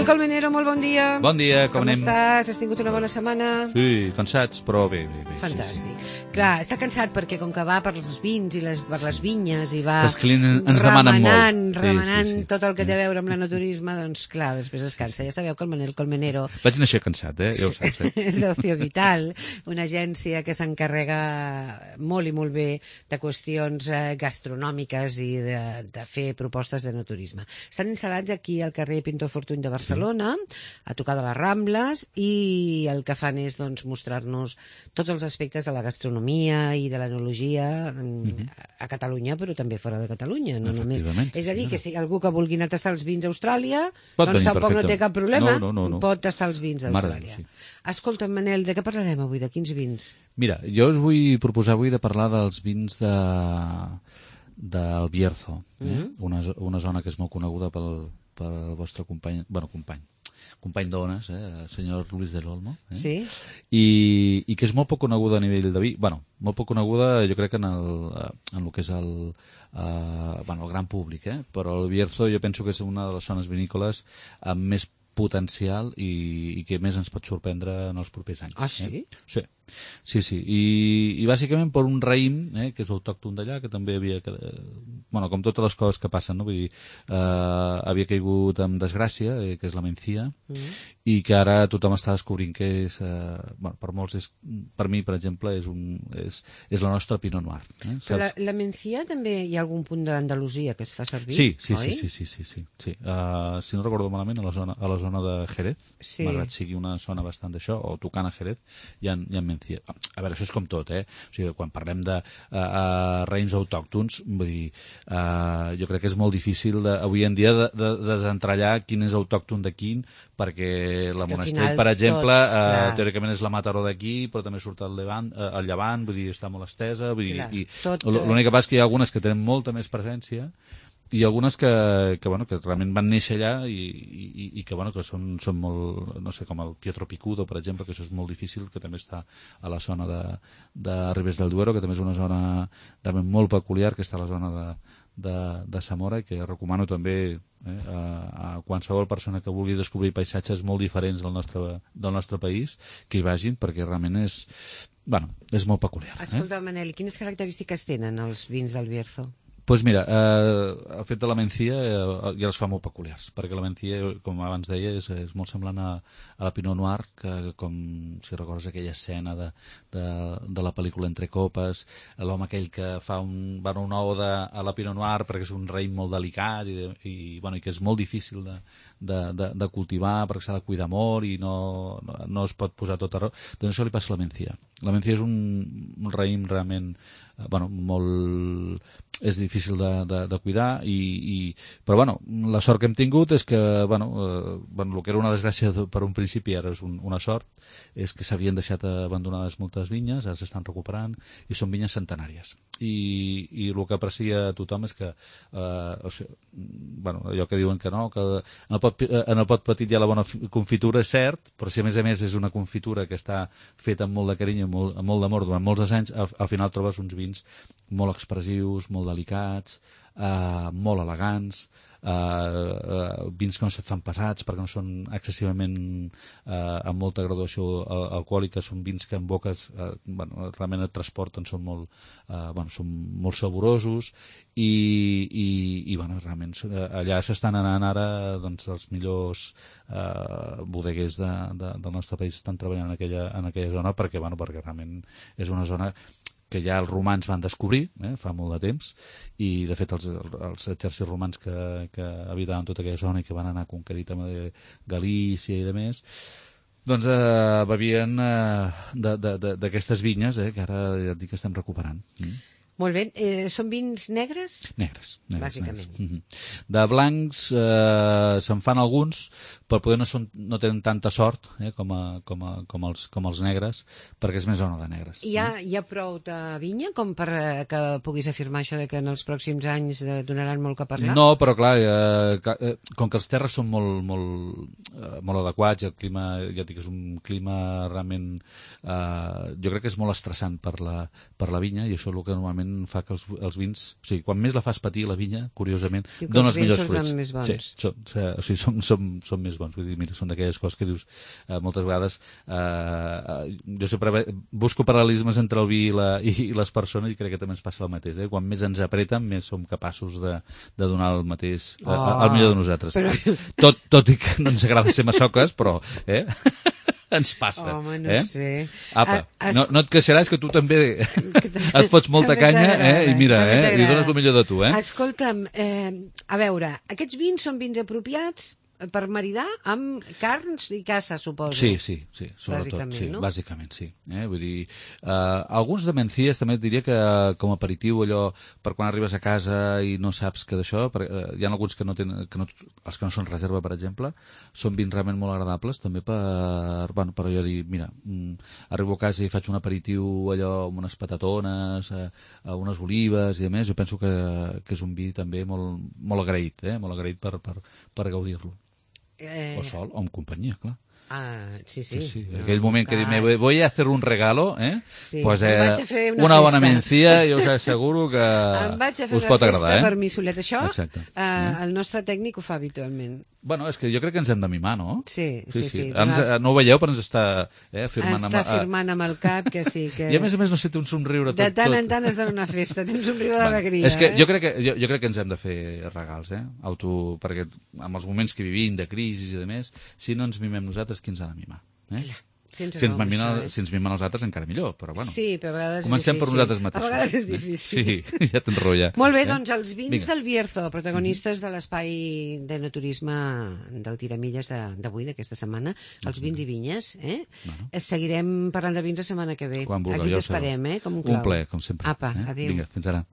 Manel Colmenero, molt bon dia. Bon dia, com anem? Com estàs? Has tingut una bona setmana? Sí, cansats, però bé. Fantàstic. Sí. Clar, està cansat perquè com que va per els vins i per les vinyes i va Els clients ens demanen molt. remenant tot el que té a veure amb l'enoturisme, doncs clar, després es cansa. Ja sabeu que el Manel Colmenero Vaig néixer cansat, ja ho saps. és d'Ocio Vital, una agència que s'encarrega molt i molt bé de qüestions gastronòmiques i de fer propostes d'enoturisme. Estan instal·lats aquí al carrer Pintor Fortuny de Barcelona, a tocar de les Rambles, i el que fan és doncs, mostrar-nos tots els aspectes de la gastronomia i de l'enologia a Catalunya, però també fora de Catalunya. No només. És a dir, que si algú que vulgui anar a tastar els vins a Austràlia, doncs tampoc no té cap problema, pot tastar els vins a Austràlia. Escolta, Manel, de què parlarem avui? De quins vins? Mira, jo us vull proposar avui de parlar dels vins del Bierzo, una zona que és molt coneguda pel vostre company d'ones, el senyor Luis del Olmo, sí. I que és molt poc coneguda a nivell de vi, molt poc coneguda jo crec en el que és el gran públic, però el Bierzo jo penso que és una de les zones vinícoles amb més potencial i que més ens pot sorprendre en els propers anys. Ah, sí? Sí. I bàsicament per un raïm, que és autòcton d'allà, que també havia... com totes les coses que passen, no? Vull dir, havia caigut en desgràcia, que és la mencia, i que ara tothom està descobrint que és... per molts, per mi, per exemple, és la nostra Pinot Noir. Però la mencia també hi ha algun punt d'Andalusia que es fa servir, oi? Sí. Si no recordo malament, a la zona de Jerez, malgrat sigui una zona bastant d'això, o tocant a Jerez, hi ha mencia. A veure, això és com tot, O sigui, quan parlem de raïms autòctons, vull dir, jo crec que és molt difícil avui en dia de desentrallar quin és autòcton de quin, perquè la Monastrell, per exemple, teòricament és la Mataró d'aquí, però també surt al Llevant, vull dir, està molt estesa, vull dir, i l'únic que passa és que hi ha algunes que tenen molta més presència i algunes que realment van néixer allà i que són molt, no sé, com el Pietro Picudo, per exemple, que això és molt difícil, que també està a la zona de Ribes del Duero, que també és una zona realment molt peculiar, que està a la zona de Zamora, i que recomano també a qualsevol persona que vulgui descobrir paisatges molt diferents del nostre país, que hi vagin, perquè realment és molt peculiar. Escolta, Manel, quines característiques tenen els vins del Bierzo? Doncs mira, el fet de la mencia ja els fa molt peculiars, perquè la mencia, com abans deia, és molt semblant a la Pinot Noir, que com si recordes aquella escena de la pel·lícula Entre copes, l'home aquell que fa una oda a la Pinot Noir perquè és un raïm molt delicat i que és molt difícil de cultivar perquè s'ha de cuidar molt i no es pot posar tot arreu. Doncs això li passa a la mencia. La mencia és un raïm realment és difícil de cuidar però la sort que hem tingut és que el que era una desgràcia per un principi ara és una sort, és que s'havien deixat abandonades moltes vinyes, ara s'estan recuperant i són vinyes centenàries i el que aprecia tothom és que allò que diuen que en el pot petit hi ha la bona confitura, és cert, però si a més és una confitura que està feta amb molt de carinyo, amb molt d'amor durant molts anys, al final trobes uns vins molt expressius, molt delicats, molt elegants, vins que no se't fan pesats perquè no són excessivament amb molta graduació alcohòlica, són vins que en boques realment et transporten, són molt saborosos i realment allà s'estan anant ara els millors bodeguers del nostre país estan treballant en aquella zona perquè realment és una zona que ja els romans van descobrir fa molt de temps i de fet els exèrcits romans que habitaven tota aquella zona i que van anar conquerir també Galícia i demés doncs bevien d'aquestes vinyes que ara ja et dic que estem recuperant. Molt bé. Són vins negres? Negres. Bàsicament. De blancs se'n fan alguns, però poder no tenen tanta sort com els negres, perquè és més zona de negres. Hi ha prou de vinya com per que puguis afirmar això de que en els pròxims anys donaran molt que parlar? No, però clar, com que els terres són molt adequats, el clima, ja et dic, és un clima realment... jo crec que és molt estressant per la vinya, i això és el que normalment realment fa que els vins... O sigui, quan més la fas patir, la vinya, curiosament, Diu que dona els els millors vins surten fruits. més bons. Sí, som més bons. Vull dir, mira, són d'aquelles coses que dius moltes vegades... Jo sempre busco paral·lelismes entre el vi i les persones i crec que també ens passa el mateix. Quan més ens apreten, més som capaços de donar el mateix, el millor de nosaltres. Però... Tot i que no ens agrada ser massoques, però... ens passa. Home, no sé. Apa, no et queixaràs que tu també et fots molta canya i mira, i dones el millor de tu. Escolta'm, a veure, aquests vins són vins apropiats per maridar amb carns i caça, suposo. Sí, sobretot. Bàsicament, no? Bàsicament, sí. Vull dir, alguns de Mencías també et diria que com a aperitiu, allò, per quan arribes a casa i no saps que d'això, hi ha alguns que no tenen, els que no són reserva, per exemple, són vins realment molt agradables, també per allò dir, mira, arribo a casa i faig un aperitiu allò amb unes patatones, unes olives i a més, jo penso que és un vi també molt agraït, molt agraït per gaudir-lo. O sol, o amb companyia, clar. Sí. Aquell moment que dic, voy a hacer un regalo, sí, pues una bona mencía, jo us asseguro que us pot agradar. Per mi solet. Això, exacte. El nostre tècnic ho fa habitualment. Bueno, és que jo crec que ens hem de mimar, no? Sí. No ho veieu, però ens està firmant firmant amb el cap, que sí. Que... I a més no sé, té un somriure tot. De tant en tant es dona una festa, té un somriure d'alegria. És que jo crec que ens hem de fer regals, perquè amb els moments que vivim, de crisi i de més, si no ens mimem nosaltres, qui ens ha de mimar? Si ens mimen els altres, encara millor, però bueno. Sí, però a vegades comencem per nosaltres mateixos. A vegades és difícil. Sí, ja t'enrotlla. Molt bé, doncs els vins del Bierzo, protagonistes de l'espai de naturisme del Tiramilles d'avui, d'aquesta setmana, els vins i vinyes. Seguirem parlant de vins la setmana que ve. Quan vulgueu. Aquí t'esperem, com un clau. Un plaer, com sempre. Apa, adéu. Vinga, fins ara.